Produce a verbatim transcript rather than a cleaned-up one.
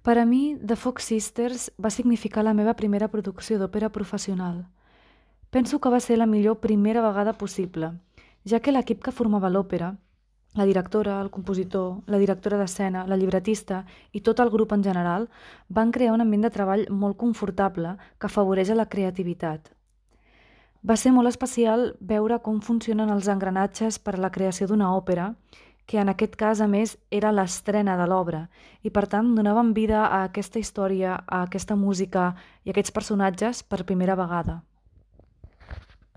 Per a mi, The Fox Sisters va significar la meva primera producció d'òpera professional. Penso que va ser la millor primera vegada possible, ja que l'equip que formava l'òpera, la directora, el compositor, la directora d'escena, la llibretista i tot el grup en general van crear un ambient de treball molt confortable que afavoreix a la creativitat. Va ser molt especial veure com funcionen els engranatges per a la creació d'una òpera, que en aquest cas, a més, era l'estrena de l'obra, i per tant donaven vida a aquesta història, a aquesta música i a aquests personatges per primera vegada.